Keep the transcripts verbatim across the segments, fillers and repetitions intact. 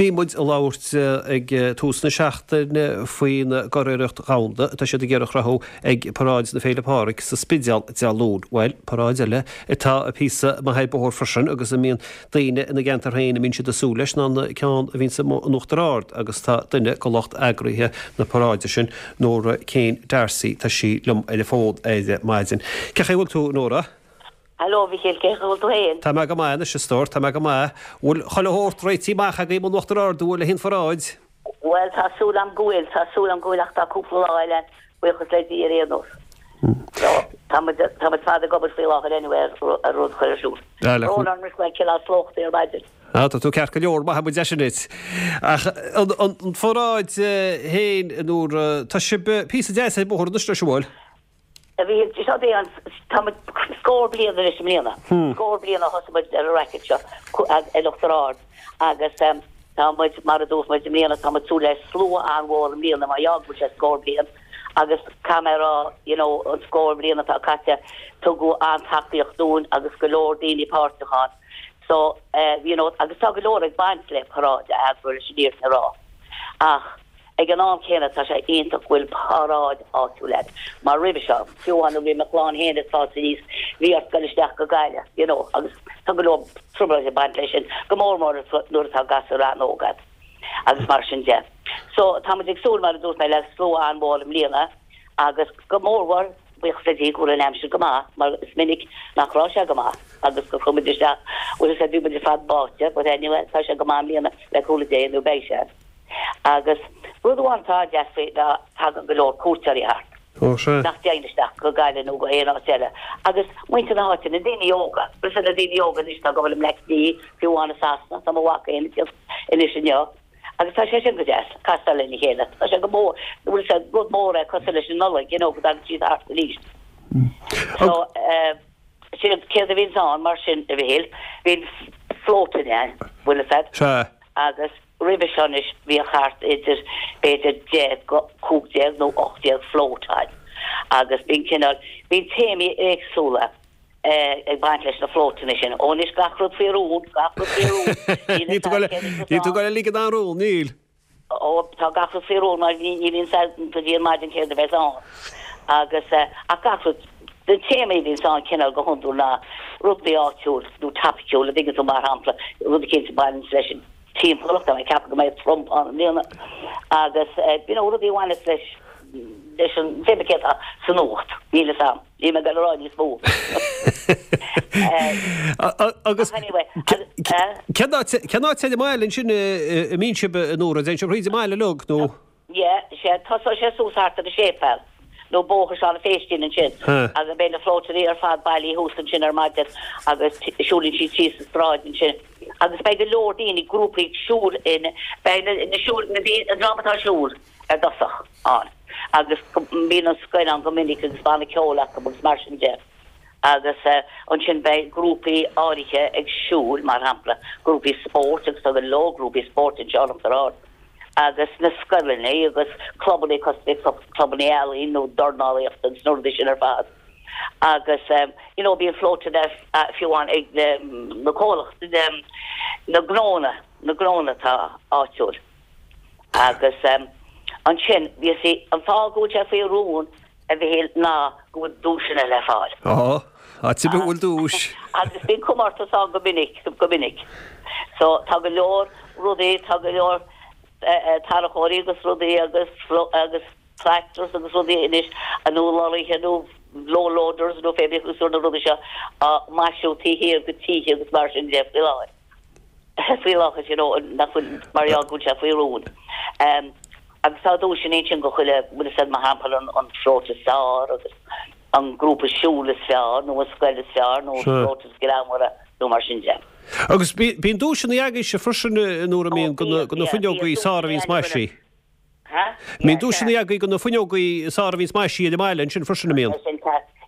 Bhí muid ag labhairt ag tús na seachtaine faoin gcuriarracht dhomhanda atá siad ag iarraidh a chruthú ag Paráid na Féile Pádraig sa Spidéal Dé Luain. Bhuel, paráid eile atá píosa maith ar bóthar freisin agus a mbíonn daoine ina gceantar féin a mbíonn siad ag súil leis ná an ceann a bhíonn in Uachtar Ard agus tá duine de lucht eagraithe na paráide sin, Nóra Kane D'Arcy, tá sí liom ar an bhfón ar maidin. Cén chaoi a bhfuil tú, Nóra? Hello, Mhichíl, cén chaoi a bhfuil tú féin? Tá mé go maith anois, a stór, tá mé go maith. Bhfuil chuile shórt réitithe amach agaibh in Uachtar Ard, bhfuil le haghaidh an pharáid? Bhuel, tá súil agam go bhfuil, tá súil agam go bhfuil ach tá cúpla lá eile, buíochas le Dia ar aon nós. So, tá muid, tá muid fada ag obair faoi láthair anyway ar, ar rud a chur ar siúl. Brón orm is go bhfuil cineál slóchtaí ar maidin. Ah, tá tú ceart go leor, maith muid é sin duit. Ach an, an, an pharáid féin, a Nóra, tá sibh píosa deas ar bóthar anois leis, an bhfuil? A Mhichíl, seo é an, tá muid scór bliain anois i mbliana, scór bliain ó thosaigh muid ar an racket seo in Uachtar Ard agus tá muid, mar a dúirt muid, i mbliana tá muid súil le slua an-mhór i mbliana mar gheall go bhfuil sé scór bliain agus caithfidh mé a rá, you know, an scór bliain atá caite tugadh an-tacaíocht dúinn agus go leor daoine páirteach ann so, you know, agus tá go leor ag baint le paráid a eagrú leis an fhírinne a rá ach. Ag an am céanna, tá sé iontach go bhfuil paráid áitiúil agat, mar roimhe seo, fiú amháin nuair a bhí mo chlann féin ag fás aníos, bhí ort dul isteach go Gaillimh, you know, agus tá go leor trioblóid ag baint leis sin, go mór mór nuair atá gasúir an-óg agat agus mar sin de. So, tá muid ag súil, mar a dúirt mé, le slua an-mhór i mbliana agus go mór mhór, buíochas le Dia go bhfuil an aimsir go maith, mar is minic nach raibh sé go maith agus gur chuaigh muid isteach, bhfuil fhios agat, bhí muid ar fad báite, but anyway, tá sé go maith i mbliana, le cúnamh Dé, nó beidh sé. Agus rud amháin atá deas faoi ná tagann go leor cuairteoirí thart. Ó, sea. Nach dtéann isteach go Gaillimh nó go haon áit eile. Agus muintir na háite, na daoine óga, bhfuil fhios agat na daoine óga anois atá ag gabháil i mBleá Cliath, fiú amháin i Sasana, tá mo mhac féin ag tíocht anois inniu. Agus tá sé sin go deas, castáil lena chéile. Tá sé go mór, bhfuil fhios agat, rud mór é cosúil leis an Nollaig, you know, go dtagann siad thart arís. So, eh, sin céard a bhíonns ann mar sin, a Mhichíl, bíonn floatanna ann, bhfuil fhios agat. Sea. Agus roimhe seo anois bhíodh thart idir b'fhéidir deich go cúig déag nó ocht déag float ann agus bíonn cineál, bíonn téamaí éagsúla ag baint leis na floatanna sin. Ó anois gach rud faoi rún, gach rud faoi rún. Níl tú ag goil a ligean aon rún, níl. Ó, tá gach rud faoi rún mar ní bhíonn a fhios go dtí an maidin céard a bheas ann. Agus, ach gach rud, na téamaí a bhíonns ann cineál go hiondúil ná rudaí áitiúil nó topaiciúil, a dtuigeann tú, mar shampla, rud eicínt a bhaineanns leis an timpeallacht, tá mé ag ceapadh go mbeidh Trump ann i mbliana, agus, you know, rudaí a bhaineas leis, leis an, cé céard atá sa nuacht, níl fhios a'm. Níl mé ag dul a rá níos mó. Agus cén áit cén áit ar an mbaile ansin a mbíonn sibh a Nóra? Dtéann sibh thríd an mbaile uilig nó? Yeah, sea, tosóidh sé suas thart ar an séipéal nó Bóthar Seán an Phéistín ansin agus beidh na floatanna ar fad bailithe thuas ansin ar maidin agus siúlann siad síos an tsráid ansin agus beidh go leor daoine, grúpaí ag siúl in, beidh na siúl, na daoine, an dream atá ag siúl ar dtosach ann agus bíonn an scoil ann go minic agus banna ceoil acu agus mar sin de. Agus ansin beidh grúpaí áirithe ag siúl, mar shampla, grúpaí spóirt agus tá go leor grúpaí spóirt anseo in Uachtar Ard agus na scoileanna agus clubanna cosúil le clubanna ealaíon nó dornálaíochta agus na rudaí sin ar fad. Agus you know bíonn floatanna fiú amháin ag na comhlachtaí, na gnónna, na gnónna atá áitiúil. Agus ansin, you see, an fáth go bhfuil sé faoi rún, a Mhichíl, ná go bhfuil duaiseanna le fáil. Á, áit ar bith a bhfuil duais. Agus bíonn comórtas ann go minic, go minic. So, tá go leor rudaí, tá go leor tarracóirí agus rudaí agus, agus tractors agus rudaí anois, nó lorraithe nó low loaders nó pé bith na rudaí seo á maisiú taobh thiar de tithe agus mar sin de faoi láthair. Faoi láthair, you know, nach bhfuil, mar gheall go bhfuil sé faoi rún. Agus tá duaiseanna ansin go chuile, bhfuil fhios a'd, mar shampla an an float is fearr agus an grúpa siúil is fearr nó an scoil is fearr nó an float is greannmhaire nó mar sin de. Agus bíonn duaiseanna agaibhse freisin nuair a mbíonn go na fuinneogaí is fearr a bhíonns maisithe. Mbíonn duaiseanna agaibh go na fuinneogaí is fearr a bhíonns maisithe ar an mbaile ansin freisin, an mbíonn?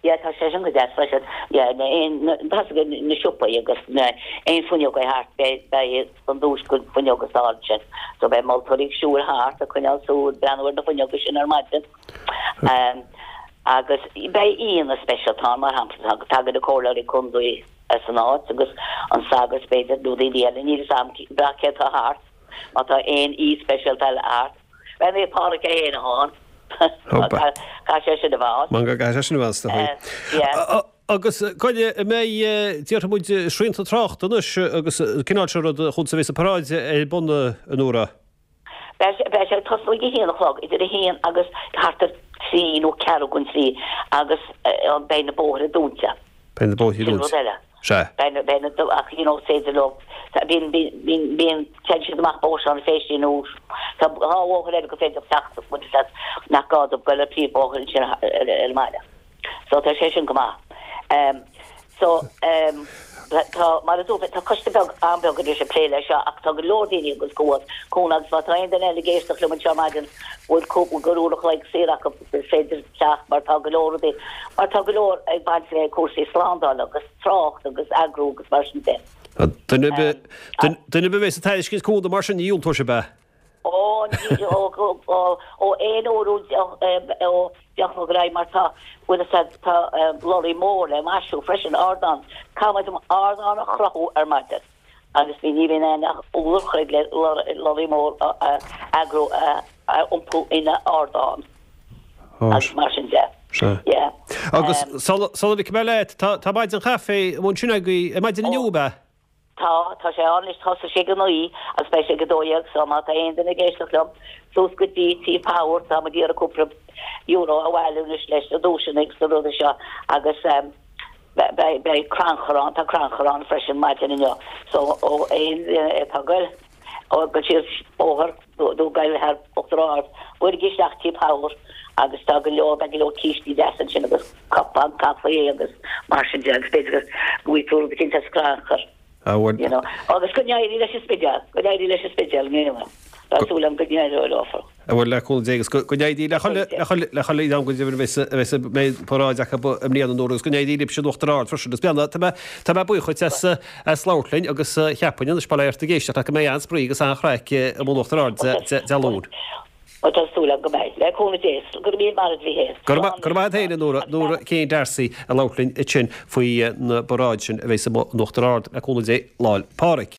Yeah, tá sé sin go deas freisin. Yeah, na aon, na, tá sé na siopaí agus na aon fuinneoga thart, beidh, beidh an duais go fuinneoga is fearr ansin. So beidh moltóirí ag siúl thart ag coinneáil súil, breathnú ar na fuinneoga sin ar maidin. Um, agus beidh aíonna speisialta ann, mar shampla, tagann na comhairleoirí contae as an áit agus an sagart b'fhéidir nó daoine eile, níl fhios a'm cé atá thart. Má tá aon aoi speisialta eile thart. Beidh Naomh Pádraig é féin ann. Caithfidh sé sin a bheith ann. Man go gcaithfidh sé sin a bheith ann, is dóigh. Yeah. Agus goile, an mbeidh, déarfaidh muid, srianta tráchta anois agus an cineál seo rud chugat a bheas an paráid ar bun a Nóra? Beidh sé ag tosnú ag a haon a chlog, idir a haon agus thart ar trí nó ceathrú don trí agus beidh na bóithre dúnta. Beidh na bóithre Sin dúnta. rud eile. Sea. Beidh na, beidh na, ach you know, is féidir leo, bíonn, bíonn, bíonn, téann siad amach Bóthar Sheáin Phéistí nó tá dhá bhóthar eile gur féidir teacht, bhfuil fhios agat, nach gá dóibh goil ar príomhbhóthar ansin ar an mbaile. So tá sé sin go maith. Um, so um, tá, mar a dúirt mé, tá coiste beag, an-bheag anois ag plé leis seo ach tá go leor daoine agus comhad, cúnamh agus má tá aon duine eile ag éisteacht liom anseo ar maidin, bhfuil cúpla gur uair a chloig saor acu, is féidir teacht mar tá go leor rudaí, mar tá go leor ag baint le cúrsaí slándála agus trácht agus eagrú agus mar sin de. Duine ar bith, duine ar bith a bheas ag tairiscint cúnamh mar sin ní dhiúltóidh sibh, ab ea? Ó, ní, ó, ó, ó aon uair ó ó deich a chlog ar aghaidh mar tá, bhfuil fhios a'd, tá lorry mór le maisiú freisin, ardán, caithfidh muid ardán a chruthú ar maidin agus bhí, ní bhíonn aon ach uair a chloig le lorry mór a eagrú a iompú ina ardán agus mar sin de. Sea. Yeah. Agus sula ligfidh mé leat, tá, tá maidin chaife ansin agaibh ar maidin inniu, ab ea? Tá, tá sé ann anois, thosaigh sé ag a naoi agus beidh sé ag a dó dhéag so má tá aon duine ag éisteacht liom, suas go dtí Tí Power, tá muid ag iarraidh cúpla euro a bhailiú anois leis na duaiseanna agus na rudaí seo agus beidh, beidh crannchur ann, tá crannchur ann freisin maidin inniu so ó aon duine atá ag goil, ó ag goil síos bóthar nó ag goil thar Uachtar Ard, buailigí isteach Tí Power agus tá go leor, beidh go leor cístí deasa ansin agus cupán caife agus mar sin de agus b'fhéidir go bhfaighidh tú rud eicínt as crannchur. Ah, bhuel. You know. Agus go n-éirí leis an Spidéal, go n-éirí leis an Spidéal i mbliana. Tá súil agam go n-éireoidh leo. Ah, bhuel, le cúnamh Dé agus go n-éirí le chuile, le chuile, le chuile am go deimhin a bheas, a bheas, a mbeidh paráid acu i mbliana a Nóra agus go n-éirí libhse in Uachtar Ard freisin. Is beanna, tá mé, tá mé buíoch dhuit as, as labhairt linn agus cheapfainn anois bail ó Dhia ort ag éisteacht go mbeidh an-spraoi agus an-chraic i mbun Uachtar Ard Dé Luain. Bhuel, tá súil agam go mbeidh. Le cúnamh Dé. Go raibh míle maith agat a Mhíchéil. Go raibh maith agat féin, a Nóra, Nóra Jane D'Arcy ag labhairt linn ansin faoi na paráid sin a bheas i mbun Uachtar Ard le cúnamh Dé Lá'l Pádraig.